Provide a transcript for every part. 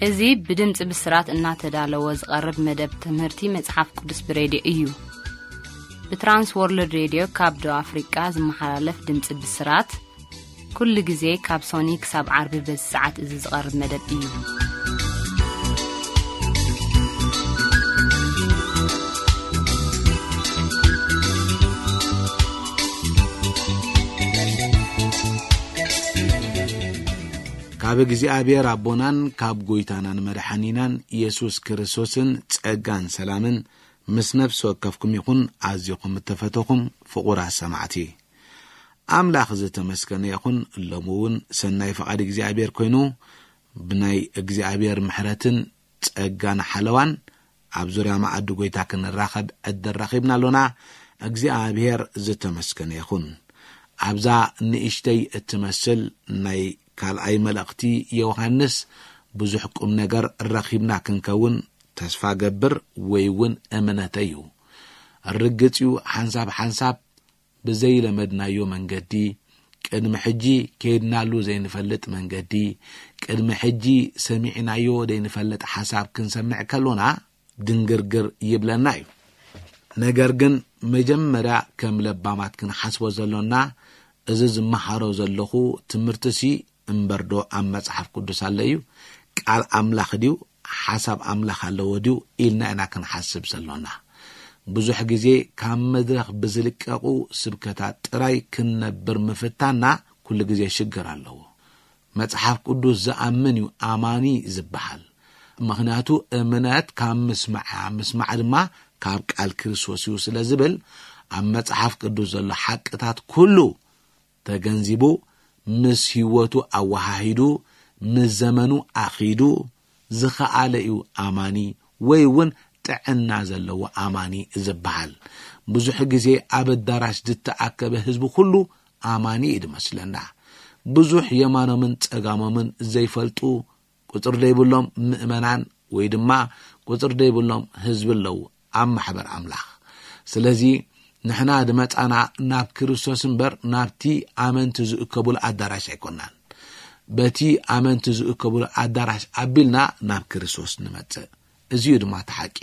እዚ ብድምፂ ብስራት እናተዳለወ ዝቐርብ መደብ ትምህርቲ መጽሓፍ ቅዱስ ብሬድዮ እዩ። ብትራንስ ወርልድ ሬድዮ ካብ ደቡብ ኣፍሪቃ ዝመሓላለፍ ድምፂ ብስራት፣ ኩሉ ግዜ ካብ ሶኒ ክሳብ ዓርቢ በዚ ሰዓት እዚ ዝቐርብ መደብ እዩ። ካብ እግዚኣብሔር ኣቦናን ካብ ጎይታናን መድሓኒናን ኢየሱስ ክርስቶስን ጸጋን ሰላምን ምስ ነፍሲ ወከፍኩም ይኹን። ኣዚኹም እተፈተኹም ፍቑራት ሰማዕቲ፣ ኣምላኽ ዝተመስገነ ይኹን። ሎሚ እውን ሰናይ ፍቓድ እግዚኣብሔር ኮይኑ፣ ብናይ እግዚኣብሔር ምሕረትን ጸጋን ሓለዋን ኣብ ዙርያ መኣዲ ጎይታ ክንራኸብ ዕድል ረኺብና ኣሎና። እግዚኣብሔር ዝተመስገነ ይኹን። ኣብዛ ንእሽተይ እትመስል ናይ ካልኣይ መልእኽቲ ዮሃንስ ብዙሕ ቁም ነገር ረኺብና ክንከውን ተስፋ ገብር ወይ እውን እምነተይ እዩ። ርግጽ እዩ፣ ሓንሳብ ሓንሳብ ብዘይለመድናዮ መንገዲ፣ ቅድሚ ሕጂ ከይድናሉ ዘይንፈልጥ መንገዲ፣ ቅድሚ ሕጂ ሰሚዕናዮ ዘይንፈልጥ ሓሳብ ክንሰምዕ ከሎና ድንግርግር ይብለና እዩ። ነገር ግን መጀመርያ ከም ለባማት ክንሓስቦ ዘሎና፣ እዚ ዝመሃሮ ዘለኹ ትምህርትሲ እምበርዶ ኣብ መጽሓፍ ቅዱስ ኣሎ እዩ? ቃል ኣምላኽ ድዩ? ሓሳብ ኣምላኽ ኣለዎ ድዩ? ኢልና ኢና ክንሓስብ ዘሎና። ብዙሕ ግዜ ካብ መድረኽ ብዝልቀቑ ስብከታት ጥራይ ክንነብር ምፍታንና ኩሉ ግዜ ሽግር ኣለዎ። መጽሓፍ ቅዱስ ዝኣምን እዩ ኣማኒ ዝበሃል። ምኽንያቱ እምነት ካብ ምስማዕ እያ፣ ምስማዕ ድማ ካብ ቃል ክርስቶስ እዩ ስለ ዝብል፣ ኣብ መጽሓፍ ቅዱስ ዘሎ ሓቅታት ኩሉ ተገንዚቡ፣ ምስ ህይወቱ ኣወሃሂዱ፣ ምስ ዘመኑ ኣኺዱ ዝኸኣለ እዩ ኣማኒ ወይ እውን ጥዕና ዘለዎ ኣማኒ ዝበሃል። ብዙሕ ግዜ ኣብ ኣዳራሽ ዝተኣከበ ህዝቢ ኩሉ ኣማኒ እዩ ዝመስለና። ብዙሕ የማኖምን ጸጋሞምን ዘይፈልጡ ቁጽሪ ዘይብሎም ምእመናን ወይ ድማ ቁጽሪ ዘይብሎም ህዝቢ ኣለዉ ኣብ ማሕበር ኣምላኽ። ስለዚ ንሕና ዝመጻና ናብ ክርስቶስ እምበር ናብቲ ኣመንቲ ዝእከቡሉ ኣዳራሽ ኣይኮናን። በቲ ኣመንቲ ዝእከቡሉ ኣዳራሽ ኣቢልና ናብ ክርስቶስ ንመጽእ። እዚ እዩ ድማ እቲ ሓቂ።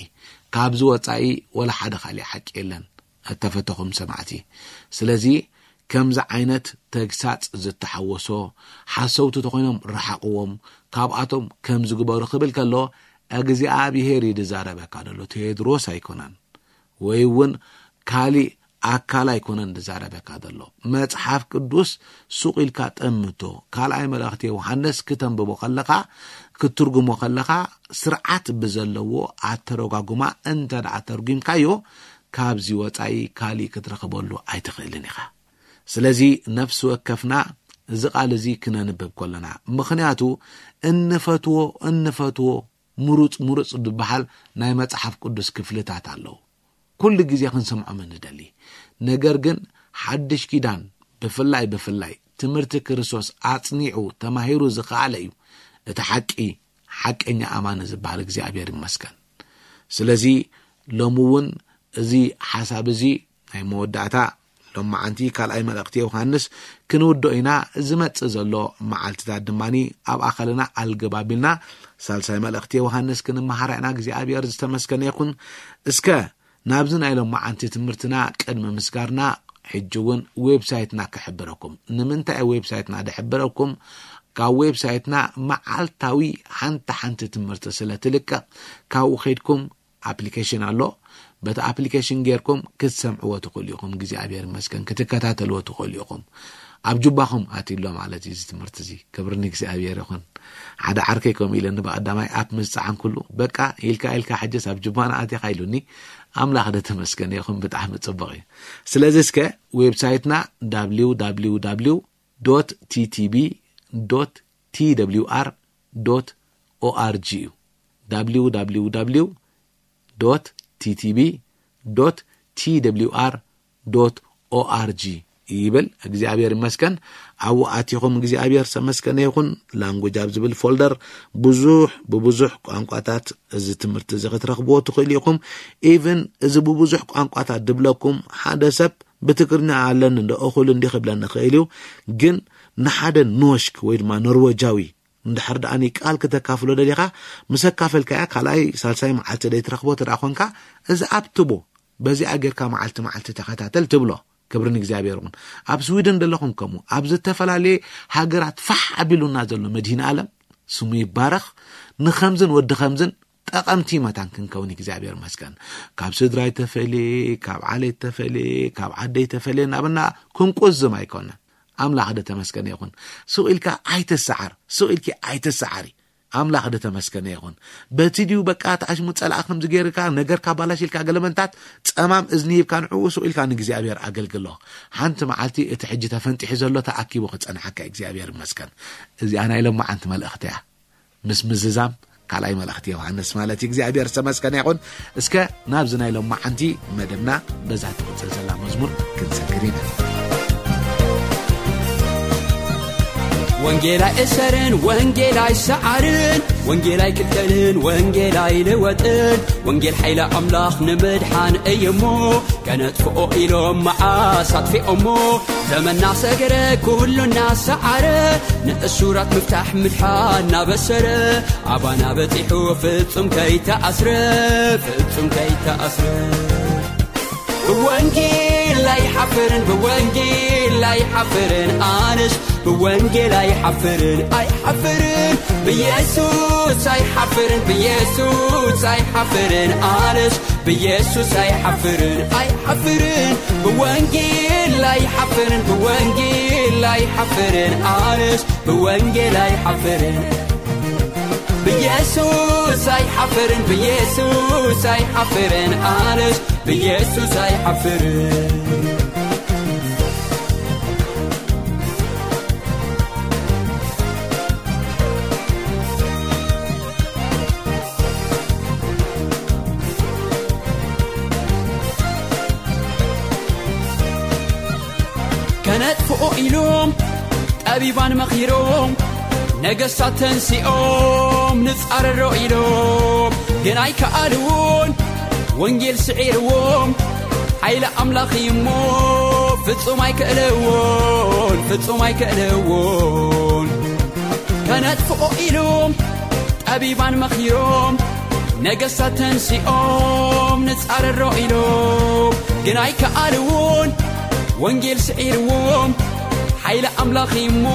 ካብዚ ወጻኢ ወላ ሓደ ካሊእ ሓቂ የለን፣ እተፈተኹም ሰማዕቲ። ስለዚ ከምዚ ዓይነት ተግሳጽ ዝተሓወሶ ሓሰውቲ ተኾይኖም ረሓቕዎም፣ ካብኣቶም ከም ዝግበሩ ክብል ከሎ እግዚኣብሔር እዩ ዝዛረበካ ዘሎ፣ ቴድሮስ ኣይኮነን። ወይ እውን ካሊእ ኣካል ኣይኮነን ዝዛረበካ ዘሎ። መጽሓፍ ቅዱስ ሱቕ ኢልካ ጠምቶ። ካልኣይ መልእኽቲ ዮሃንስ ክተንብቦ ከለኻ፣ ክትትርጉሞ ከለኻ፣ ስርዓት ብዘለዎ ኣተረጓጉማ እንተ ደኣ ተርጒምካዮ፣ ካብዚ ወጻኢ ካሊእ ክትረኽበሉ ኣይትኽእልን ኢኻ። ስለዚ ነፍሲ ወከፍና እዚ ቃል እዚ ክነንብብ ከለና፣ ምኽንያቱ እንፈትዎ፣ እንፈትዎ ምሩጽ፣ ምሩጽ ዝበሃል ናይ መጽሓፍ ቅዱስ ክፍልታት ኣለዉ። ኩሉ ግዜ ክንሰምዖም እንደሊ። ነገር ግን ሓድሽ ኪዳን ብፍላይ፣ ብፍላይ ትምህርቲ ክርስቶስ ኣጽኒዑ ተማሂሩ ዝኸኣለ እዩ እቲ ሓቂ፣ ሓቀኛ ኣማኒ ዝበሃል። እግዚኣብሔር ይመስገን። ስለዚ ሎሚ እውን እዚ ሓሳብ እዚ ናይ መወዳእታ ሎማዓንቲ ካልኣይ መልእኽቲ ዮሃንስ ክንውድኦ ኢና። ዝመጽእ ዘሎ መዓልትታት ድማ ኣብ ኣኸልና ኣልገባቢልና ሳልሳይ መልእኽቲ ዮሃንስ ክንመሃራ ኢና። እግዚኣብሔር ዝተመስገነ ይኹን። እስከ ናብዚ ናይ ሎማዓንቲ ትምህርትና ቅድሚ ምስጋርና፣ ሕጂ እውን ዌብሳይትና ክሕብረኩም። ንምንታይ ዌብሳይትና ድሕብረኩም? ካብ ዌብሳይትና መዓልታዊ ሓንቲ ሓንቲ ትምህርቲ ስለ ትልቀቕ፣ ካብኡ ከይድኩም ኣፕሊኬሽን ኣሎ። በቲ ኣፕሊኬሽን ጌርኩም ክትሰምዕዎ ትኽእሉ ኢኹም። እግዚኣብሔር ይመስገን፣ ክትከታተልዎ ትኽእሉ ኢኹም። ኣብ ጁባኹም ኣትዩ ኣሎ ማለት እዩ እዚ ትምህርቲ እዚ። ክብሪ ንእግዚኣብሔር ይኹን። ሓደ ዓርከይ ከምኡ ኢለኒ፣ ብቐዳማይ ኣፕ ምስ ጸዓንኩሉ፣ "በቃ ኢልካ ኢልካ ሕጅስ ኣብ ጁባና ኣቲኻ?" ኢሉኒ። ኣምላኽ ደ ተመስገን ይኹን፣ ብጣዕሚ ጽቡቕ እዩ። ስለዚ እስከ ዌብሳይትና www.ttb.twr org እዩ። www.ttb.twr.org ይብል። እግዚኣብሔር ይመስገን። ኣብኡ ኣቲኹም እግዚኣብሔር ዝተመስገነ ይኹን። ላንጉጅ ኣብ ዝብል ፎልደር ብዙሕ፣ ብብዙሕ ቋንቋታት እዚ ትምህርቲ እዚ ክትረኽብዎ ትኽእሉ ኢኹም። ኢቭን እዚ ብብዙሕ ቋንቋታት ድብለኩም ሓደ ሰብ ብትግርኛ ኣለኒ እንዶ እኹል እንዲ ክብለኒ ይኽእል እዩ። ግን ንሓደ ኖሽክ ወይ ድማ ኖርወጃዊ እንድሕር ደኣ ቃል ክተካፍሎ ደሊኻ፣ ምስ ኣካፈልካያ ካልኣይ ሳልሳይ መዓልቲ ደይ ትረኽቦ ተደኣ ኾንካ፣ እዚ ኣብትቦ በዚኣ ጌርካ መዓልቲ መዓልቲ ተኸታተል ትብሎ። ክብሪ ንእግዚኣብሔር ይኹን። ኣብ ስዊድን ዘለኹም ከምኡ፣ ኣብ ዝተፈላለየ ሃገራት ፋሕ ኣቢሉና ዘሎ መድህን ኣለም ስሙ ይባረኽ። ንኸምዝን ወዲ ኸምዝን ጠቐምቲ መታን ክንከውን እግዚኣብሔር መስገን። ካብ ስድራይ ተፈልየ፣ ካብ ዓሌት ተፈልየ፣ ካብ ዓደይ ተፈልየ እናበልና ክንቁዝም ኣይኮነን። ኣምላኽ ደ ተመስገነ ይኹን። ስቕ ኢልካ ኣይተሰዓር፣ ስቕ ኢልኪ ኣይተሰዓሪ። ኣምላኽ ደ ተመስገነ ይኹን። በቲ ድዩ በቃ ተኣሽሙ ጸላእ ከምዚ ገይርካ ነገርካ ባላሽ ኢልካ ገለመንታት ጸማም እዝኒ ሂብካ ንዕኡ ስቕ ኢልካ ንእግዚኣብሔር ኣገልግሎ። ሓንቲ መዓልቲ እቲ ሕጂ ተፈንጢሑ ዘሎ ተኣኪቡ ክጸንሓካ እግዚኣብሔር ይመስገን። እዚኣ ናይ ሎማዓንቲ መልእኽቲ እያ። ምስ ምዝዛም ካልኣይ መልእኽቲ ዮሃንስ ማለት እዩ። እግዚኣብሔር ዝተመስገነ ይኹን። እስከ ናብዚ ናይ ሎማዓንቲ መደብና በዛ ትቕጽል ዘላ መዝሙር ክንሰግር ኢና። ወንጌላይ እሰርን ወንጌላይ ሰዓርን ወንጌላይ ክልከልን ወንጌላይ ልወጥን ወንጌል ሓይለ ኣምላኽ ንምድሓን እዩሞ ከነጥፍኦ ኢሎም መዓስ ኣጥፊኦሞ ዘመና ሰገረ ኩሉ እናሰዓረ ንእሱራት ምፍታሕ ምድሓን እናበሰረ ኣባና በጺሑ ፍጹም ከይተኣስረ ፍጹም ከይተኣስረ ብወንጌል ኣይሓፍርን ብወንጌል ኣይሓፍርን ኣነስ ብወንጌል ኣይሓፍርን ኣይሓፍርን ብኢየሱስ ኣይሓፍርን ብኢየሱስ ኣይሓፍርን ኣነስ ብኢየሱስ ኣይሓፍርን ኣይሓፍርን ብወንጌል ኣይሓፍርን ብወንጌል ኣይሓፍርን ኣነስ ብወንጌል ኣይሓፍርን ብኢየሱስ ኣይሓፍርን ብኢየሱስ ኣይሓፍርን ኣነስ ብኢየሱስ ኣይሓፍርን ከነጥፍኦ ኢሎም ጠቢባን መኺሮም ነገስታት ተንሲኦም ንጻረሮ ኢሎም ግን ኣይከኣልዎን ወንጌል ስዒርዎም ሓይሊ ኣምላኽ እዩሞ ፍጹም ኣይክእልዎን ፍጹም ኣይክእልዎን ከነጥፍኦ ኢሎም ጠቢባን መኺሮም ነገስታት ተንሲኦም ንጻረሮ ኢሎም ግን ኣይከኣልዎን ወንጌል ስዒርዎም ሓይሊ ኣምላኽ እሞ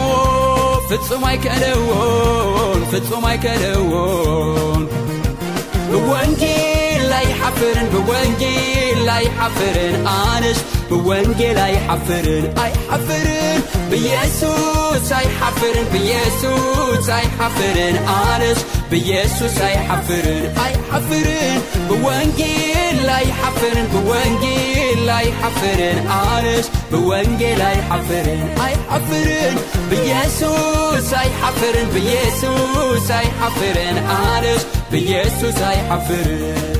ፍጹም ኣይክእልዎን ፍጹም ኣይክእልዎን ብወንጌል ኣይሓፍርን ብወንጌል ኣይሓፍርን ኣነስ ብወንጌል ኣይሓፍርን ኣይሓፍርን ብኢየሱስ ኣይሓፍርን ብኢየሱስ ኣይሓፍርን ኣነስ ብኢየሱስ ኣይሓፍርን ኣይሓፍርን ብወንጌል ኣይሓፍርን ብወንጌል ኣይሓፍርን ኣነስ ብወንጌል ኣይሓፍርን ኣይሓፍርን ብኢየሱስ ኣይሓፍርን ብኢየሱስ ኣይሓፍርን ኣነስ ብኢየሱስ ኣይሓፍርን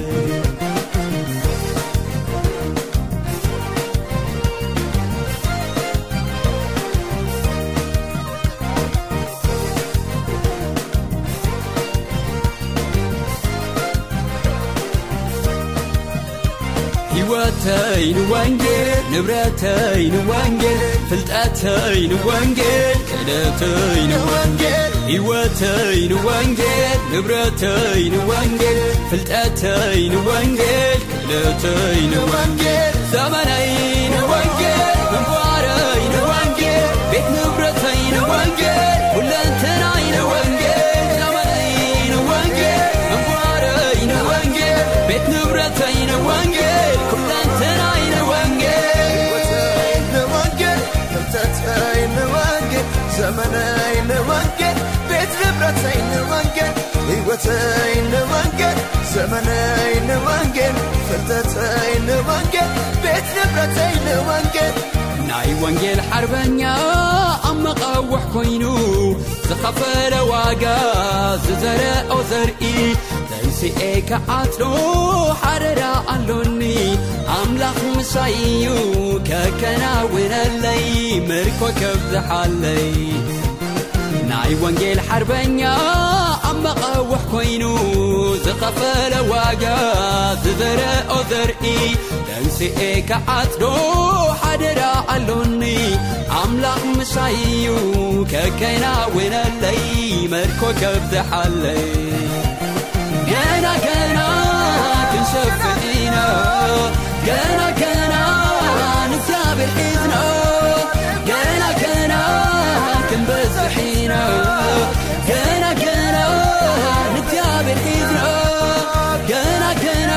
ሕይወተይ ንወንጌል ንብረተይ ንወንጌል ፍልጠተይ ንወንጌል ክእለተይ ንወንጌል ሕይወተይ ንወንጌል ንብረተይ ንወንጌል ፍልጠተይ ንወንጌል ክእለተይ ንወንጌል ዘመነይ ንወንጌል ግንባረይ ንወንጌል ቤት ንብረተይ ንወንጌል ኩለንተናይ ንወንጌል ዘመነይ ንወንጌል ግንባረይ ንወንጌል ቤት ንብረተይ ንወንጌል ኩለንተናይ ንወንጌል ሕይወተይ ንወንጌል ፍልጠተይ ንወንጌል ዘመነይ ንወንጌል ቤት ንብረተይ ንወንጌል ሕይወተይ ንወንጌል ዘመነይ ንወንጌል ፍልጠተይ ንወንጌል ቤት ንብረተይ ንወንጌል ናይ ወንጌል ሓርበኛ ኣብ መቓውሕ ኮይኑ ዝኸፈለ ዋጋ ዝዘረኦ ዘርኢ ተንስኤ ክዓጽዶ ሓደራ ኣሎኒ ኣምላኽ ምሳይ እዩ ከከናውነለይ ምርኮ ከብዝሓለይ ናይ ወንጌል ሓርበኛ ኣብ መቓውሕ ኮይኑ ዝኸፈለ ዋጋ ዝዘረኦ ዘርኢ ተንስኤ ክዓጽዶ ሓደራ ኣሎኒ። ኣምላኽ ምሳይ እዩ ከከናውነለይ መርኮ ከብዝሓለይ። ገና ገና ክንሰፍሕ ኢና፣ ገና ገና ንእግዚኣብሔር ሒዝና፣ ገና ገና ክንበዝሕ ኢና፣ ገና ገና ንእግዚኣብሔር ሒዝና፣ ገና ገና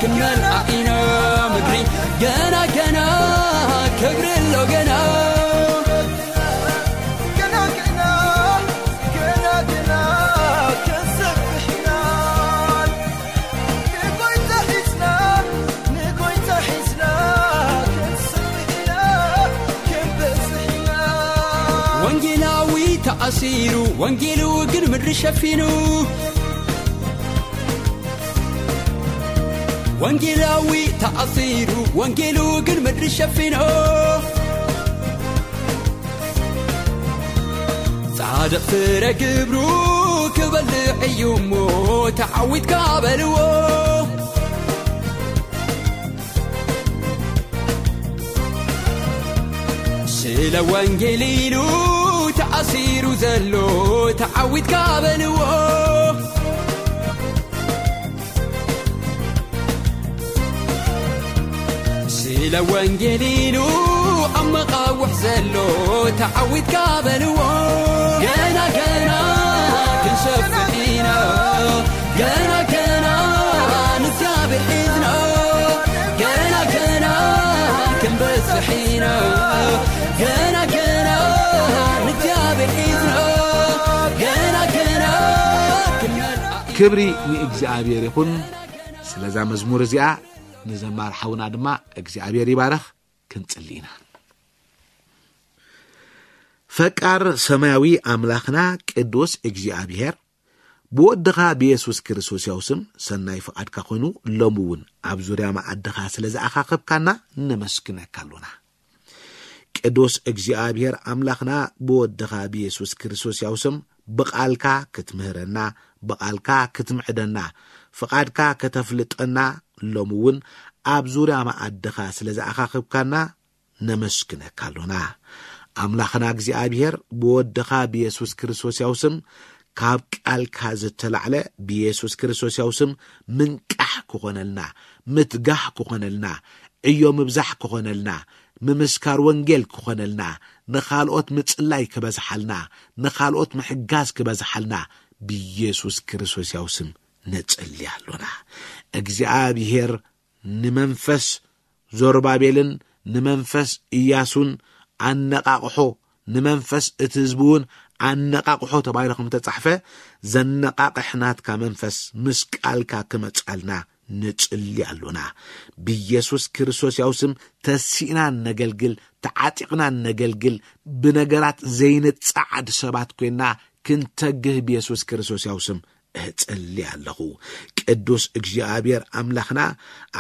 ክንመልኣ ኢና ምድሪ፣ ገና ገና ክብሪ ኣሎ ገና። ገና ገና ገና ገና ክንሰፍሕ ኢና። ንጎይታ ሒዝና፣ ንጎይታ ሒዝና ክንሰፍሕ ኢና፣ ክንበዝሕ ኢና። ወንጌላዊ ተኣሲሩ፣ ወንጌሉ ግን ምድሪ ሸፊኑ። ወንጌላዊ ተኣሲሩ፣ ወንጌሉ ግን ምድሪ ሸፊኑ። ጻድቕ ፍረ ግብሩ ክበልዕ እዩ እሞ ተዓዊትካ በልዎ። ስለ ወንጌል ኢሉ ተኣሲሩ ዘሎ ተዓዊትካ በልዎ። ስለ ወንጌል ኢሉ ኣብ መቓውሕ ዘሎ ተዓዊትካ በልዎ። ገና ገና ክንሰፍሕ ኢና፣ ገና ገና ንእግዚኣብሔር ሒዝና፣ ገና ገና ክንበዝሕ ኢና፣ ገና ገና ንእግዚኣብሔር ሒዝና፣ ገና ገና ክንመልኣ ኢና። ክብሪ ንእግዚኣብሔር ይኹን። ስለዛ መዝሙር እዚኣ ንዘማር ሓውና ድማ እግዚኣብሔር ይባረኽ። ክንጽሊ ኢና። ፈቃር ሰማያዊ ኣምላኽና ቅዱስ እግዚኣብሔር፣ ብወድኻ ብየሱስ ክርስቶስ ያው ስም ሰናይ ፍቓድካ ኮይኑ፣ ሎም እውን ኣብ ዙርያ መኣድኻ ስለ ዝኣኻኸብካና ነመስግነካ ኣሎና። ቅዱስ እግዚኣብሔር ኣምላኽና፣ ብወድኻ ብየሱስ ክርስቶስ ያው ስም ብቓልካ ክትምህረና፣ ብቓልካ ክትምዕደና፣ ፍቓድካ ከተፍልጠና፣ ሎም እውን ኣብ ዙርያ መኣድኻ ስለ ዝኣኻኸብካና ነመስግነካ ኣሎና። ኣምላኽና እግዚኣብሔር፣ ብወድኻ ብየሱስ ክርስቶስ ያው ስም ካብ ቃልካ ዝተላዕለ ብየሱስ ክርስቶስ ያው ስም ምንቃሕ ክኾነልና፣ ምትጋህ ክኾነልና፣ ዕዮ ምብዛሕ ክኾነልና፣ ምምስካር ወንጌል ክኾነልና፣ ንኻልኦት ምጽላይ ክበዝሓልና፣ ንኻልኦት ምሕጋዝ ክበዝሓልና ብየሱስ ክርስቶስ ያው ስም ነጽሊ ኣሎና። እግዚኣብሔር ንመንፈስ ዞርባቤልን ንመንፈስ ኢያሱን ኣነቓቕሖ፣ ንመንፈስ እቲ ህዝቢ እውን ኣነቓቕሖ ተባሂሉ ከም ተጻሕፈ፣ ዘነቓቕሕ ናትካ መንፈስ ምስ ቃልካ ክመጻልና ንጽሊ ኣሎና። ብየሱስ ክርስቶስ ያው ስም ተሲእና ነገልግል፣ ተዓጢቕና ነገልግል፣ ብነገራት ዘይንጸዓድ ሰባት ኮይና ክንተግህ ብየሱስ ክርስቶስ ያው ስም እጽሊ ኣለኹ። ቅዱስ እግዚኣብሔር ኣምላኽና፣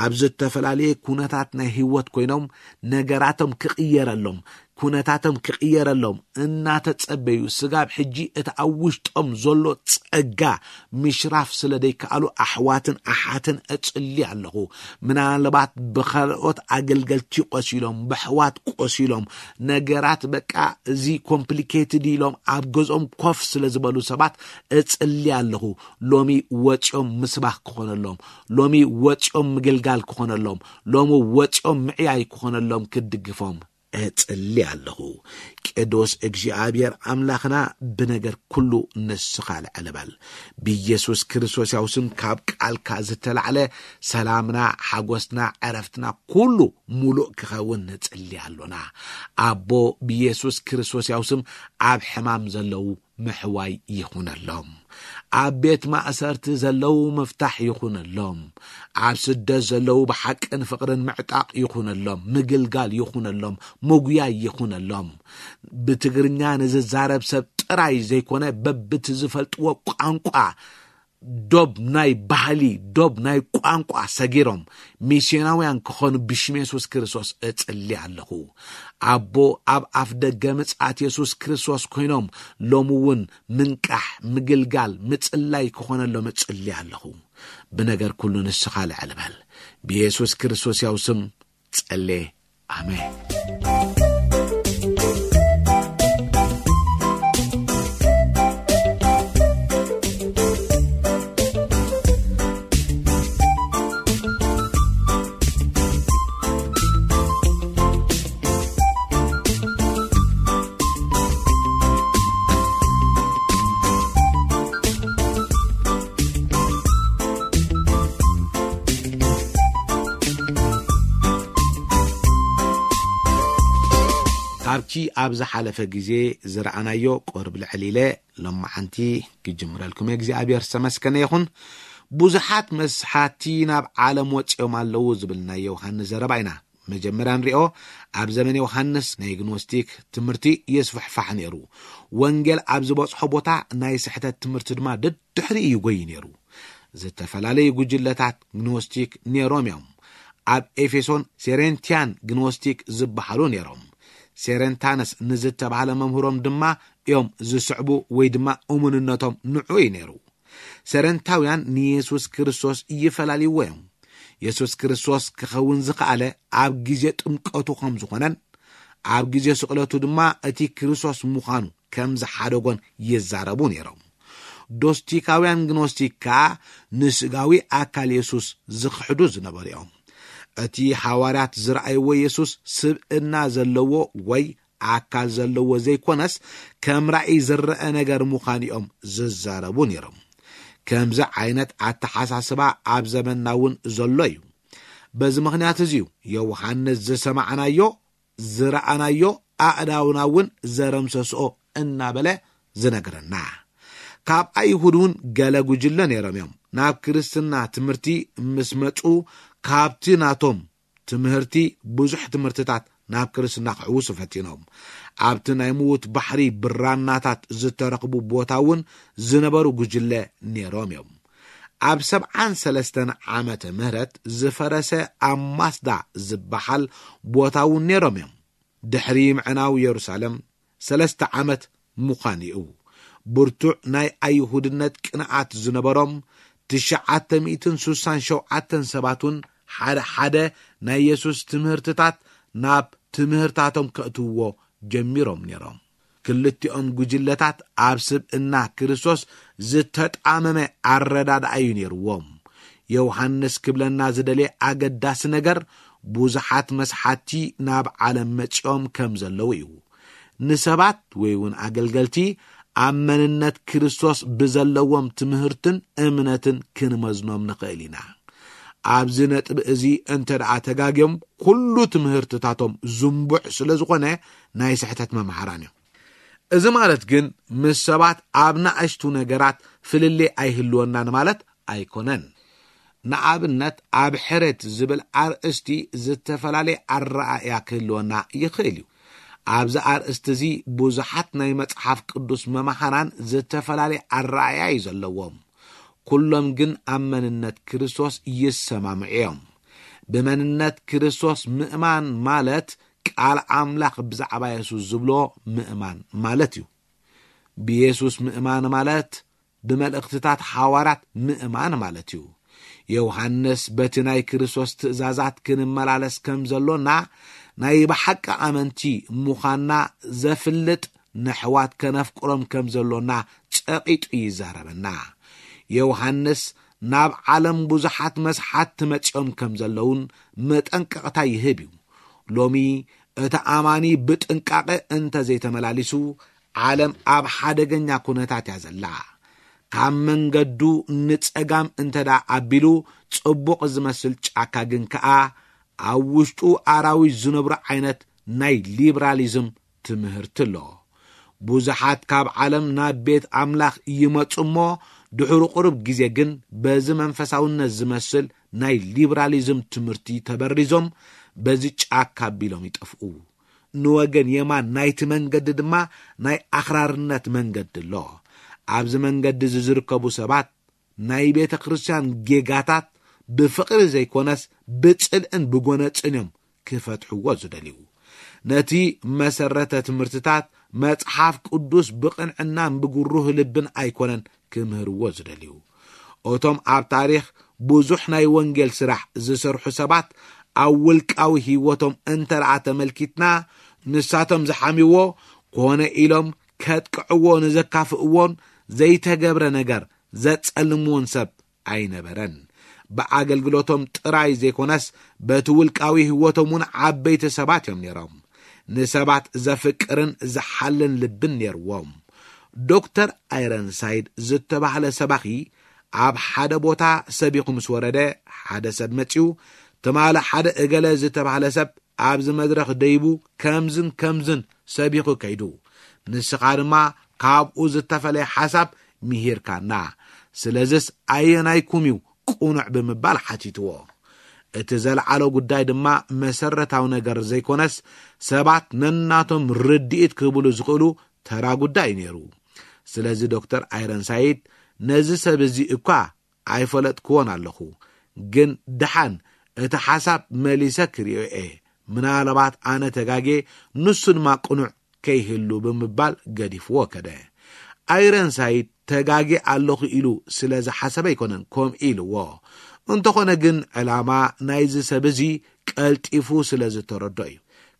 ኣብ ዝተፈላለየ ኩነታት ናይ ህይወት ኮይኖም ነገራቶም ክቕየረሎም፣ ኩነታቶም ክቕየረሎም እናተጸበዩ፣ ስጋብ ሕጂ እቲ ኣብ ውሽጦም ዘሎ ጸጋ ምሽራፍ ስለ ደይከኣሉ፣ ኣሕዋትን ኣሓትን እጽሊ ኣለኹ። ምናልባት ብኻልኦት ኣገልገልቲ ቆሲሎም፣ ብኣሕዋት ቆሲሎም፣ ነገራት በቃ እዚ ኮምፕሊኬትድ ኢሎም ኣብ ገዝኦም ኮፍ ስለ ዝበሉ ሰባት እጽሊ ኣለኹ። ሎሚ ወጺኦም ምስባኽ ክኾነሎም፣ ሎሚ ወጺኦም ምግልጋል ክኾነሎም፣ ሎሚ ወጺኦም ምዕያይ ክኾነሎም፣ ክድግፎም እጽሊ ኣለኹ። ቅዱስ እግዚኣብሔር ኣምላኽና፣ ብነገር ኩሉ ንስኻ ልዕል በል። ብኢየሱስ ክርስቶስ ያው ስም ካብ ቃልካ ዝተላዕለ ሰላምና፣ ሓጎስና፣ ዕረፍትና ኩሉ ሙሉእ ክኸውን ንጽሊ ኣሎና። ኣቦ፣ ብኢየሱስ ክርስቶስ ያው ስም ኣብ ሕማም ዘለዉ ምሕዋይ ይኹነሎም። ኣብ ቤት ማእሰርቲ ዘለዉ ምፍታሕ ይኹነሎም። ኣብ ስደት ዘለዉ ብሓቅን ፍቕርን ምዕጣቕ ይኹነሎም፣ ምግልጋል ይኹነሎም፣ ምጉያይ ይኹነሎም። ብትግርኛ ንዝዛረብ ሰብ ጥራይ ዘይኮነ፣ በብቲ ዝፈልጥዎ ቋንቋ ዶብ ናይ ባህሊ፣ ዶብ ናይ ቋንቋ ሰጊሮም ሚስዮናውያን ክኾኑ ብሽም የሱስ ክርስቶስ እጽሊ ኣለኹ። ኣቦ፣ ኣብ ኣፍ ደገ ምጽኣት የሱስ ክርስቶስ ኮይኖም ሎሚ እውን ምንቃሕ፣ ምግልጋል፣ ምጽላይ ክኾነሎም እጽሊ ኣለኹ። ብነገር ኩሉ ንስኻ ልዕል በል። ብየሱስ ክርስቶስ ያው ስም ጸሌ። ኣሜን። ካብቲ ኣብ ዝሓለፈ ግዜ ዝረኣናዮ ቁርብ ልዕል ኢለ ሎማዓንቲ ክጅምረልኩም እየ። እግዚኣብሔር ዝተመስገነ ይኹን። ብዙሓት መስሓቲ ናብ ዓለም ወፂኦም ኣለዉ ዝብል ናይ ዮሃንስ ዘረባ ኢና መጀመርያ ንሪኦ። ኣብ ዘመን ዮሃንስ ናይ ግኖስቲክ ትምህርቲ ይስፍሕፋሕ ነይሩ። ወንጌል ኣብ ዝበፅሖ ቦታ ናይ ስሕተት ትምህርቲ ድማ ደድሕሪ እዩ ጎይ ነይሩ። ዝተፈላለዩ ጉጅለታት ግኖስቲክ ነይሮም እዮም። ኣብ ኤፌሶን ሴሬንቲያን ግኖስቲክ ዝበሃሉ ነይሮም። ሴሬንታነስ ንዝተባህለ መምህሮም ድማ እዮም ዝስዕቡ ወይ ድማ እሙንነቶም ንዑ እዩ ነይሩ። ሰረንታውያን ንየሱስ ክርስቶስ ይፈላልይዎ እዮም። የሱስ ክርስቶስ ክኸውን ዝኸኣለ ኣብ ግዜ ጥምቀቱ ከም ዝኾነን ኣብ ግዜ ስቕለቱ ድማ እቲ ክርስቶስ ምዃኑ ከም ዝሓደጎን ይዛረቡ ነይሮም። ዶስቲካውያን ግኖስቲክ ከኣ ንስጋዊ ኣካል የሱስ ዝኽሕዱ ዝነበሩ እዮም። እቲ ሓዋርያት ዝረኣይዎ የሱስ ስብእና ዘለዎ ወይ ኣካል ዘለዎ ዘይኮነስ ከም ራእይ ዝረአ ነገር ምዃኑ እዮም ዝዛረቡ ነይሮም። ከምዚ ዓይነት ኣተሓሳስባ ኣብ ዘመንና እውን ዘሎ እዩ። በዚ ምኽንያት እዚ እዩ ዮሃንስ ዝሰማዕናዮ ዝረኣናዮ ኣእዳውና እውን ዘረምሰስኦ እናበለ ዝነግረና። ካብ ኣይሁድ እውን ገለ ጉጅለ ነይሮም እዮም። ናብ ክርስትና ትምህርቲ ምስ መጹ ካብቲ ናቶም ትምህርቲ ብዙሕ ትምህርትታት ናብ ክርስትና ክሕውሱ ፈቲኖም። ኣብቲ ናይ ምዉት ባሕሪ ብራናታት ዝተረኽቡ ቦታ እውን ዝነበሩ ጉጅለ ነይሮም እዮም። ኣብ ሰብዓን ሰለስተን ዓመተ ምህረት ዝፈረሰ ኣማስዳ ዝበሃል ቦታ እውን ነይሮም እዮም። ድሕሪ ምዕናው የሩሳሌም ሰለስተ ዓመት ምዃን እዩ። ብርቱዕ ናይ ኣይሁድነት ቅንኣት ዝነበሮም ትሽዓተ ሚእትን ስሳን ሸውዓተን ሰባት እውን ሓደ ሓደ ናይ የሱስ ትምህርትታት ናብ ትምህርታቶም ከእትውዎ ጀሚሮም ነይሮም። ክልቲኦም ጉጅለታት ኣብ ስብእና ክርስቶስ ዝተጣመመ ኣረዳድኣ እዩ ነይርዎም። ዮሃንስ ክብለና ዝደልየ ኣገዳሲ ነገር ብዙሓት መስሓቲ ናብ ዓለም መጺኦም ከም ዘለዉ እዩ። ንሰባት ወይ እውን ኣገልገልቲ ኣብ መንነት ክርስቶስ ብዘለዎም ትምህርትን እምነትን ክንመዝኖም ንኽእል ኢና። ኣብዚ ነጥቢ እዚ እንተ ደኣ ተጋግዮም ኩሉ ትምህርትታቶም ዝንቡዕ ስለ ዝኾነ ናይ ስሕተት መምሃራን እዮም። እዚ ማለት ግን ምስ ሰባት ኣብ ናእሽቱ ነገራት ፍልልይ ኣይህልወናን ማለት ኣይኮነን። ንኣብነት ኣብ ሕሬት ዝብል ኣርእስቲ ዝተፈላለየ ኣረኣእያ ክህልወና ይኽእል እዩ። ኣብዚ ኣርእስቲ እዚ ብዙሓት ናይ መጽሓፍ ቅዱስ መምሃራን ዝተፈላለየ ኣረኣእያ እዩ ዘለዎም። ኩሎም ግን ኣብ መንነት ክርስቶስ ይሰማምዑ እዮም። ብመንነት ክርስቶስ ምእማን ማለት ቃል ኣምላኽ ብዛዕባ የሱስ ዝብሎ ምእማን ማለት እዩ። ብየሱስ ምእማን ማለት ብመልእኽትታት ሓዋርያት ምእማን ማለት እዩ። ዮሃንስ በቲ ናይ ክርስቶስ ትእዛዛት ክንመላለስ ከም ዘሎና ናይ ብሓቂ ኣመንቲ ምዃንና ዘፍልጥ ነሕዋት ከነፍቅሮም ከም ዘሎና ጸቒጡ ይዛረበና። ዮሃንስ ናብ ዓለም ብዙሓት መስሓት ትመጺኦም ከም ዘለውን መጠንቀቕታ ይህብ እዩ። ሎሚ እቲ ኣማኒ ብጥንቃቐ እንተ ዘይተመላሊሱ ዓለም ኣብ ሓደገኛ ኩነታት እያ ዘላ። ካብ መንገዱ ንጸጋም እንተ ደኣ ኣቢሉ ጽቡቕ ዝመስል ጫካ ግን ከኣ ኣብ ውሽጡ ኣራዊት ዝነብሩ ዓይነት ናይ ሊብራሊዝም ትምህርቲ ኣሎ። ብዙሓት ካብ ዓለም ናብ ቤት ኣምላኽ ይመጹ እሞ ድሕሪ ቁሩብ ግዜ ግን በዚ መንፈሳውነት ዝመስል ናይ ሊብራሊዝም ትምህርቲ ተበሪዞም በዚ ጫካ ኣቢሎም ይጠፍኡ። ንወገን የማን ናይቲ መንገዲ ድማ ናይ ኣኽራርነት መንገዲ ኣሎ። ኣብዚ መንገዲ እዚ ዝርከቡ ሰባት ናይ ቤተ ክርስቲያን ጌጋታት ብፍቕሪ ዘይኮነስ ብጽልእን ብጎነጽን እዮም ክፈትሕዎ ዝደልዩ። ነቲ መሰረተ ትምህርትታት መጽሓፍ ቅዱስ ብቕንዕናን ብግሩህ ልብን ኣይኮነን ክምህርዎ ዝደልዩ። እቶም ኣብ ታሪኽ ብዙሕ ናይ ወንጌል ስራሕ ዝሰርሑ ሰባት ኣብ ውልቃዊ ህይወቶም እንተ ደኣ ተመልኪትና፣ ንሳቶም ዝሓምይዎ ኮነ ኢሎም ከጥቅዕዎ ንዘካፍእዎን ዘይተገብረ ነገር ዘጸልምዎን ሰብ ኣይነበረን። ብኣገልግሎቶም ጥራይ ዘይኮነስ በቲ ውልቃዊ ህይወቶም እውን ዓበይቲ ሰባት እዮም ነይሮም። ንሰባት ዘፍቅርን ዝሓልን ልብን ነይርዎም። ዶክተር ኣይረንሳይድ ዝተባህለ ሰባኺ ኣብ ሓደ ቦታ ሰቢኹ ምስ ወረደ፣ ሓደ ሰብ መጺኡ፣ ትማሊ ሓደ እገለ ዝተባህለ ሰብ ኣብዚ መድረኽ ደይቡ ከምዝን ከምዝን ሰቢኹ ከይዱ፣ ንስኻ ድማ ካብኡ ዝተፈለየ ሓሳብ ምሂርካና። ስለዝስ ኣየናይኩም እዩ ቅኑዕ ብምባል ሓቲትዎ። እቲ ዘልዓሎ ጉዳይ ድማ መሰረታዊ ነገር ዘይኮነስ ሰባት ነናቶም ርድኢት ክህብሉ ዝኽእሉ ተራ ጉዳይ እዩ ነይሩ። ስለዚ ዶክተር ኣይረንሳይድ ነዚ ሰብ እዚ እኳ ኣይፈለጥክዎን ኣለኹ፣ ግን ደሓን እቲ ሓሳብ መሊሰ ክርእዮ እየ። ምናልባት ኣነ ተጋጌ፣ ንሱ ድማ ቅኑዕ ከይህሉ ብምባል ገዲፍዎ ከደ። ኣይረንሳይድ ተጋጌ ኣለኹ ኢሉ ስለ ዝሓሰበ ኣይኮነን ከምኡ ኢልዎ። እንተኾነ ግን ዕላማ ናይዚ ሰብ እዚ ቀልጢፉ ስለ ዝተረዶ እዩ።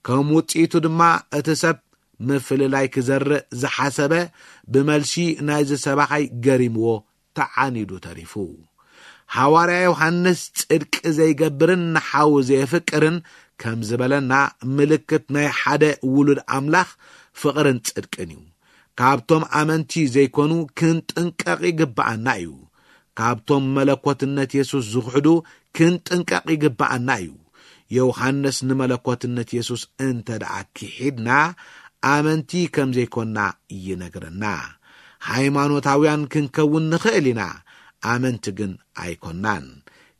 ከም ውጽኢቱ ድማ እቲ ሰብ ምፍልላይ ክዘርእ ዝሓሰበ ብመልሲ ናይዚ ሰባኻይ ገሪምዎ ተዓኒዱ ተሪፉ። ሃዋርያ ዮሃንስ ጽድቂ ዘይገብርን ንሓዉ ዘየፍቅርን ከም ዝበለና፣ ምልክት ናይ ሓደ ውሉድ ኣምላኽ ፍቕርን ጽድቅን እዩ። ካብቶም ኣመንቲ ዘይኮኑ ክንጥንቀቕ ይግብኣና እዩ። ካብቶም መለኮትነት የሱስ ዝኽሕዱ ክንጥንቀቕ ይግብኣና እዩ። ዮሃንስ ንመለኮትነት የሱስ እንተ ደኣ ክሒድና፣ ኣመንቲ ከም ዘይኮንና ይነግረና። ሃይማኖታውያን ክንከውን ንኽእል ኢና፣ ኣመንቲ ግን ኣይኮንናን።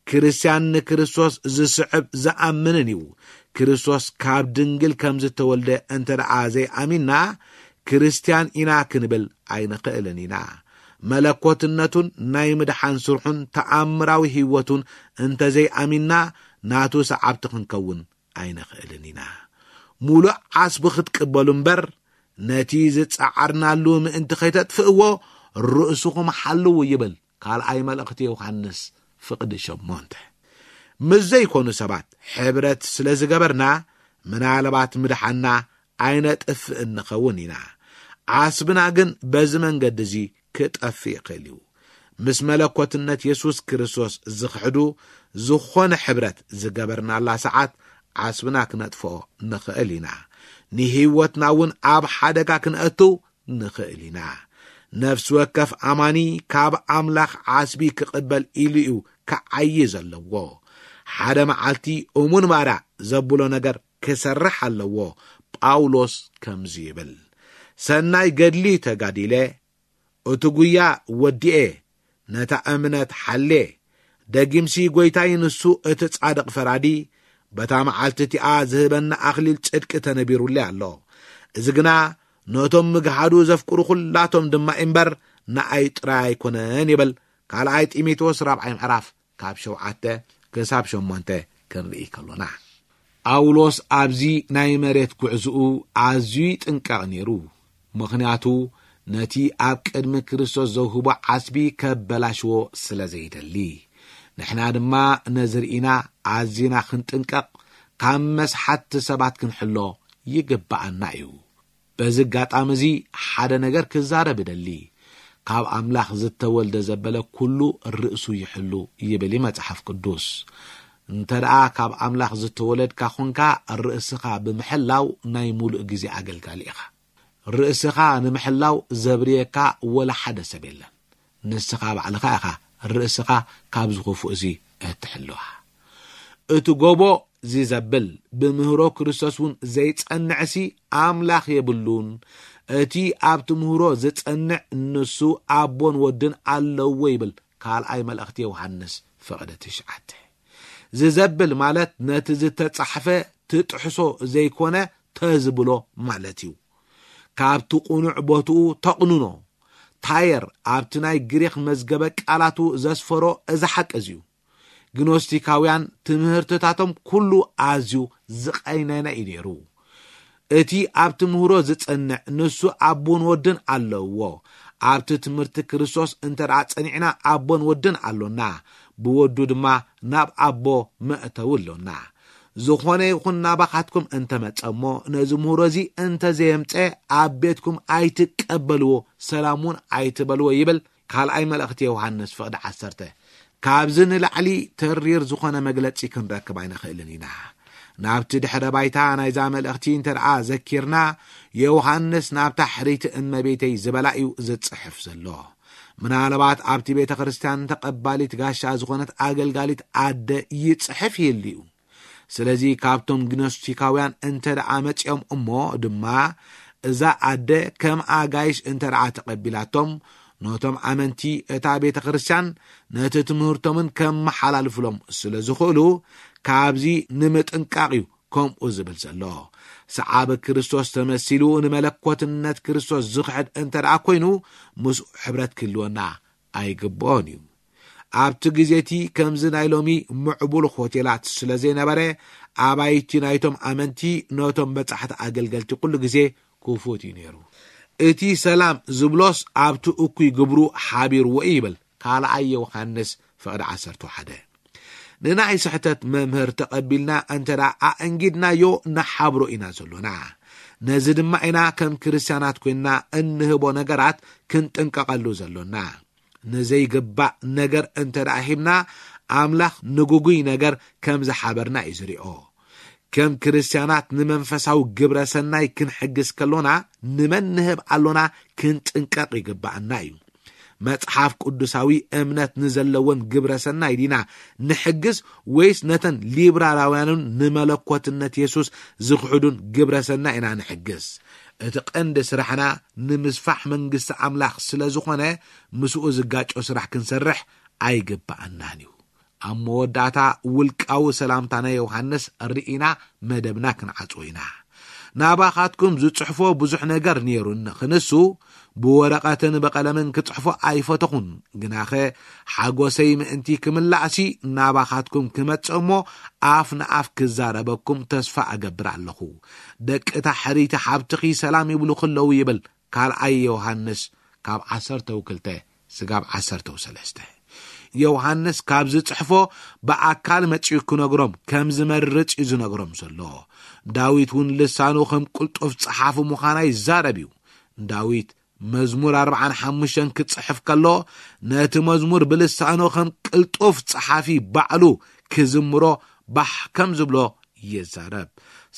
ክርስትያን ንክርስቶስ ዝስዕብ ዝኣምንን እዩ። ክርስቶስ ካብ ድንግል ከም ዝተወልደ እንተ ደኣ ዘይኣሚንና፣ ክርስትያን ኢና ክንብል ኣይንኽእልን ኢና። መለኮትነቱን ናይ ምድሓን ስርሑን ተኣምራዊ ህይወቱን እንተ ዘይኣሚንና፣ ናቱ ሰዓብቲ ክንከውን ኣይንኽእልን ኢና። ሙሉእ ዓስቢ ክትቅበሉ እምበር፣ ነቲ ዝጸዓርናሉ ምእንቲ ከይተጥፍእዎ፣ ርእስኹም ሓልዉ ይብል ካልኣይ መልእኽቲ ዮሃንስ ፍቕዲ ሸሞንተ። ምስ ዘይኮኑ ሰባት ሕብረት ስለ ዝገበርና፣ ምናልባት ምድሓንና ኣይነጥፍእን ንኸውን ኢና። ዓስብና ግን በዚ መንገዲ እዚ ክጠፍእ ይኽእል እዩ። ምስ መለኮትነት የሱስ ክርስቶስ ዝኽሕዱ፣ ዝኾነ ሕብረት ዝገበርናላ ሰዓት ዓስብና ክነጥፍኦ ንኽእል ኢና። ንህይወትና እውን ኣብ ሓደጋ ክነእትው ንኽእል ኢና። ነፍሲ ወከፍ ኣማኒ ካብ ኣምላኽ ዓስቢ ክቕበል ኢሉ እዩ ክዓዪ ዘለዎ። ሓደ መዓልቲ እሙን ባርያ ዘብሎ ነገር ክሰርሕ ኣለዎ። ጳውሎስ ከምዚ ይብል፣ "ሰናይ ገድሊ ተጋዲለ፣ እቲ ጉያ ወዲኤ፣ ነታ እምነት ሓሌ። ደጊምሲ ጐይታይ ንሱ እቲ ጻድቕ ፈራዲ፣ በታ መዓልቲ እቲኣ ዝህበና ኣኽሊል ጽድቂ ተነቢሩለይ ኣሎ። እዚ ግና ነቶም ምግሃዱ ዘፍቅሩ ኹላቶም ድማ እምበር ንኣይ ጥራይ ኣይኮነን" ይብል። ካልኣይ ጢሞቴዎስ ራብዓይ ምዕራፍ ካብ ሸውዓተ ክሳብ ሸሞንተ ክንርኢ ከሎና፣ ጳውሎስ ኣብዚ ናይ መሬት ጉዕዝኡ ኣዝዩ ይጥንቀቕ ነይሩ። ምኽንያቱ ነቲ ኣብ ቅድሚ ክርስቶስ ዘውህቦ ዓስቢ ከበላሽዎ ስለ ዘይደሊ። ንሕና ድማ ነዚ ርኢና ኣዚና ክንጥንቀቕ፣ ካብ መስሓትቲ ሰባት ክንሕሎ ይግብኣና እዩ። በዚ ኣጋጣሚ እዚ ሓደ ነገር ክዛረብ እደሊ። "ካብ ኣምላኽ ዝተወልደ ዘበለ ኩሉ ርእሱ ይሕሉ" ይብል እዩ መጽሓፍ ቅዱስ። እንተ ደኣ ካብ ኣምላኽ ዝተወለድካ ኾንካ፣ ርእስኻ ብምሕላው ናይ ሙሉእ ግዜ ኣገልጋሊ ኢኻ። ርእስኻ ንምሕላው ዘብርየካ ወላ ሓደ ሰብ የለን። ንስኻ ባዕልኻ ኢኻ ርእስኻ ካብ ዝኽፉእ እዚ እትሕልዋ። እቲ ጎቦ እዚ ዘብል ብምህሮ ክርስቶስ እውን ዘይጸንዕሲ ኣምላኽ የብሉን። እቲ ኣብቲ ምህሮ ዝጸንዕ ንሱ ኣቦን ወድን ኣለዎ ይብል ካልኣይ መልእኽቲ ዮሃንስ ፍቕዲ ትሽዓተ። ዝዘብል ማለት ነቲ ዝተጻሕፈ ትጥሕሶ ዘይኮነ ተዝብሎ ማለት እዩ። ካብቲ ቅኑዕ ቦትኡ ተቕንኖ፣ ታየር ኣብቲ ናይ ግሪኽ መዝገበ ቃላቱ ዘስፈሮ እዚ ሓቂ እዚ እዩ። ግኖስቲካውያን ትምህርትታቶም ኩሉ ኣዝዩ ዝቐይነነ እዩ ነይሩ። እቲ ኣብ ትምህሮ ዝጸንዕ ንሱ ኣቦን ወድን ኣለዎ። ኣብቲ ትምህርቲ ክርስቶስ እንተ ደኣ ጸኒዕና ኣቦን ወድን ኣሎና፣ ብወዱ ድማ ናብ ኣቦ መእተዊ ኣሎና። ዝኾነ ይኹን ናባኻትኩም እንተ መጸ እሞ ነዚ ምህሮ እዚ እንተ ዘየምጸ ኣብ ቤትኩም ኣይትቀበልዎ፣ ሰላም እውን ኣይትበልዎ ይብል ካልኣይ መልእኽቲ ዮሃንስ ፍቕዲ ዓሰርተ። ካብዚ ንላዕሊ ተሪር ዝኾነ መግለጺ ክንረክብ ኣይንኽእልን ኢና። ናብቲ ድሕረ ባይታ ናይዛ መልእኽቲ እንተ ደኣ ዘኪርና፣ ዮሃንስ ናብታ ሕርይቲ እመቤተይ ዝበላ እዩ ዝጽሕፍ ዘሎ። ምናልባት ኣብቲ ቤተ ክርስቲያን ተቐባሊት ጋሻ ዝኾነት ኣገልጋሊት ኣደ ይጽሕፍ ይህሉ እዩ። ስለዚ ካብቶም ግኖስቲካውያን እንተ ደኣ መጺኦም እሞ ድማ እዛ ኣደ ከም ኣጋይሽ እንተ ደኣ ተቐቢላቶም፣ ነቶም ኣመንቲ እታ ቤተ ክርስቲያን ነቲ ትምህርቶምን ከመሓላልፍሎም ስለ ዝኽእሉ፣ ካብዚ ንምጥንቃቕ እዩ ከምኡ ዝብል ዘሎ። ሰዓቢ ክርስቶስ ተመሲሉ ንመለኮትነት ክርስቶስ ዝኽሕድ እንተ ደኣ ኮይኑ፣ ምስኡ ሕብረት ክህልወና ኣይግብኦን እዩ። ኣብቲ ግዜ እቲ ከምዚ ናይ ሎሚ ምዕቡል ሆቴላት ስለ ዘይነበረ፣ ኣባይቲ ናይቶም ኣመንቲ ነቶም በጻሕቲ ኣገልገልቲ ኩሉ ግዜ ክፉት እዩ ነይሩ። እቲ ሰላም ዝብሎስ ኣብቲ እኩይ ግብሩ ሓቢርዎ እዩ ይብል ካልኣይ ዮሃንስ ፍቕዲ ዓሰርተ ሓደ። ንናይ ስሕተት መምህር ተቐቢልና እንተ ደኣ ኣእንጊድናዮ ንሓብሮ ኢና ዘሎና። ነዚ ድማ ኢና ከም ክርስትያናት ኮይንና እንህቦ ነገራት ክንጥንቀቐሉ ዘሎና። ንዘይግባእ ነገር እንተ ደኣ ሂብና፣ ኣምላኽ ንግጉይ ነገር ከም ዝሓበርና እዩ ዝሪኦ። ከም ክርስትያናት ንመንፈሳዊ ግብረ ሰናይ ክንሕግዝ ከሎና፣ ንመን ንህብ ኣሎና ክንጥንቀቕ ይግባኣና እዩ። መጽሓፍ ቅዱሳዊ እምነት ንዘለዎን ግብረ ሰናይ ዲና ንሕግዝ፣ ወይስ ነተን ሊብራላውያንን ንመለኮትነት የሱስ ዝኽሕዱን ግብረ ሰናይ ኢና ንሕግዝ? እቲ ቀንዲ ስራሕና ንምስፋሕ መንግስቲ ኣምላኽ ስለ ዝኾነ፣ ምስኡ ዝጋጮ ስራሕ ክንሰርሕ ኣይግባኣናን እዩ። ኣብ መወዳእታ ውልቃዊ ሰላምታ ናይ ዮሃንስ ርኢና መደብና ክንዓጽዎ ኢና። ናባኻትኩም ዝጽሕፎ ብዙሕ ነገር ነይሩኒ፣ ክንሱ ብወረቐትን ብቐለምን ክጽሕፎ ኣይፈተኹን። ግናኸ ሓጎሰይ ምእንቲ ክምላእሲ ናባኻትኩም ክመጽእ እሞ ኣፍ ንኣፍ ክዛረበኩም ተስፋ እገብር ኣለኹ። ደቂ ታሕሪቲ ሓብትኺ ሰላም ይብሉኺ ኣለዉ ይብል ካልኣይ ዮሃንስ ካብ ዓሰርተው ክልተ ስጋብ ዓሰርተው ሰለስተ። ዮሃንስ ካብ ዝጽሕፎ ብኣካል መጺኡ ክነግሮም ከም ዝመርጽ እዩ ዝነግሮም ዘሎ። ዳዊት እውን ልሳኑ ከም ቅልጡፍ ጸሓፊ ምዃና ይዛረብ እዩ። ዳዊት መዝሙር ኣርብዓን ሓሙሽተን ክጽሕፍ ከሎ፣ ነቲ መዝሙር ብልሳኑ ከም ቅልጡፍ ጸሓፊ ባዕሉ ክዝምሮ ባሕ ከም ዝብሎ ይዛረብ።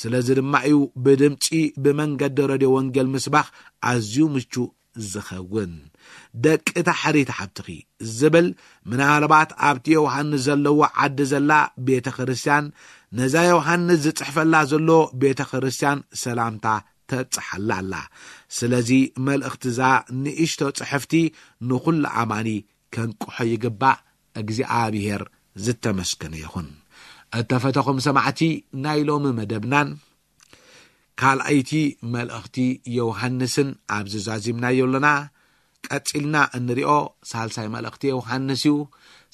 ስለዚ ድማ እዩ ብድምጺ ብመንገዲ ረድዮ ወንጌል ምስባኽ ኣዝዩ ምቹእ ዝኸውን። ደቂ ታሕሪት ሓብትኺ ዝብል ምናልባት ኣብቲ ዮሃንስ ዘለዎ ዓዲ ዘላ ቤተ ክርስቲያን፣ ነዛ ዮሃንስ ዝጽሕፈላ ዘሎ ቤተ ክርስቲያን ሰላምታ ተብጽሓላ ኣላ። ስለዚ መልእኽቲ እዛ ንእሽቶ ጽሕፍቲ ንኹሉ ኣማኒ ከንቅሖ ይግባእ። እግዚኣብሔር ዝተመስገነ ይኹን። እተፈተኹም ሰማዕቲ ናይ ሎሚ መደብናን ካልኣይቲ መልእኽቲ ዮሃንስን ኣብዚ ዛዚምናዮ ኣለና። ቀጺልና እንሪኦ ሳልሳይ መልእኽቲ ዮሃንስ እዩ።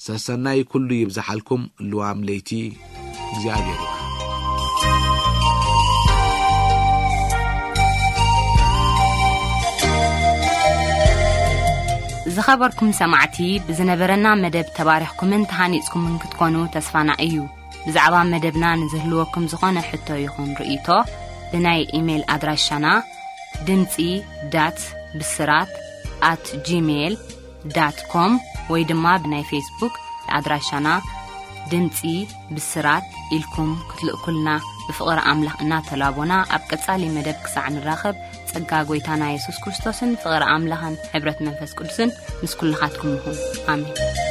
ሰሰናይ ኩሉ ይብዝሓልኩም። ልዋም ለይቲ እግዚኣብሔር ይባርክ። ዝኸበርኩም ሰማዕቲ፣ ብዝነበረና መደብ ተባሪኽኩምን ተሃኒጽኩምን ክትኮኑ ተስፋና እዩ። ብዛዕባ መደብና ንዝህልወኩም ዝኾነ ሕቶ ይኹን ርእይቶ፣ ብናይ ኢሜይል ኣድራሻና ድምጺ ዳት ብስራት ኣት ጂሜይል ዳት ኮም ወይ ድማ ብናይ ፌስቡክ ኣድራሻና ድምጺ ብስራት ኢልኩም ክትልእኩልና ብፍቕሪ ኣምላኽ እናተላቦና፣ ኣብ ቀጻሊ መደብ ክሳዕ ንራኸብ፣ ጸጋ ጐይታና የሱስ ክርስቶስን ፍቕሪ ኣምላኽን ሕብረት መንፈስ ቅዱስን ምስ ኩልኻትኩም ይኹን። ኣሜን።